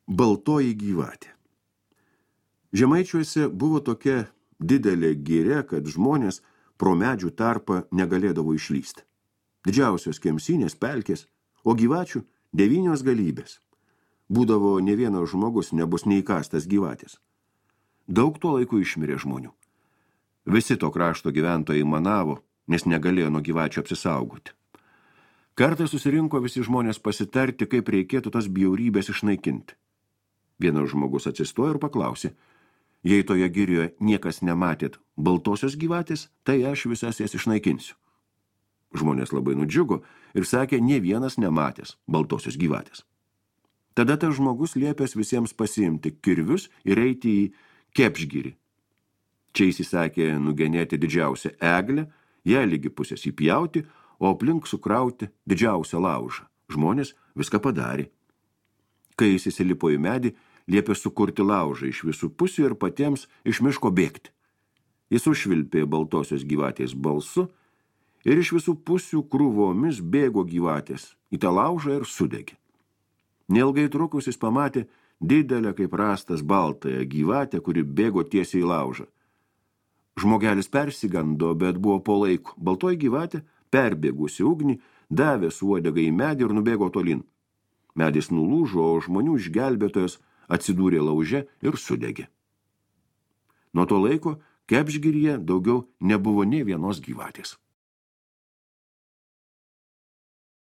Baltoji gyvatė. Žemaičiuose buvo tokia didelė giria, kad žmonės pro medžių tarpą negalėdavo išlysti. Didžiausios kemsinės, pelkės, o gyvačių 9 galybės. Būdavo ne vienas žmogus nebus neįkastas gyvatės. Daug tuo laiku išmirė žmonių. Visi to krašto gyventojai manavo, nes negalėjo nuo gyvačių apsisaugoti. Kartą susirinko visi žmonės pasitarti, kaip reikėtų tas bjaurybės išnaikinti. Vienas žmogus atsistojo ir paklausė, jei toje girioje niekas nematėt baltosios gyvatės, tai aš visas jas išnaikinsiu. Žmonės labai nudžiugo ir sakė, nė vienas nematęs baltosios gyvatės. Tada tas žmogus liepęs visiems pasiimti kirvius ir eiti į Kepšgirį. Čia įsisakė nugenėti didžiausią eglę, ją lygi pusės įpjauti, o aplink sukrauti didžiausią laužą. Žmonės viską padarė. Kai jis įsilipo į medį, liepė sukurti laužą iš visų pusių ir patiems iš miško bėgti. Jis užvilpė baltosios gyvatės balsu ir iš visų pusių krūvomis bėgo gyvatės į tą laužą ir sudegė. Neilgai trukus jis pamatė didelę kaip rastas baltąją gyvatę, kuri bėgo tiesiai į laužą. Žmogelis persigando, bet buvo po laiku. Baltoji gyvatė, perbėgusi ugnį, davė su uodega į medį ir nubėgo tolin. Medis nulūžo, o žmonių išgelbėtojas atsidūrė lauže ir sudegė. Nuo to laiko Kepšgiryje daugiau nebuvo nė vienos gyvatės.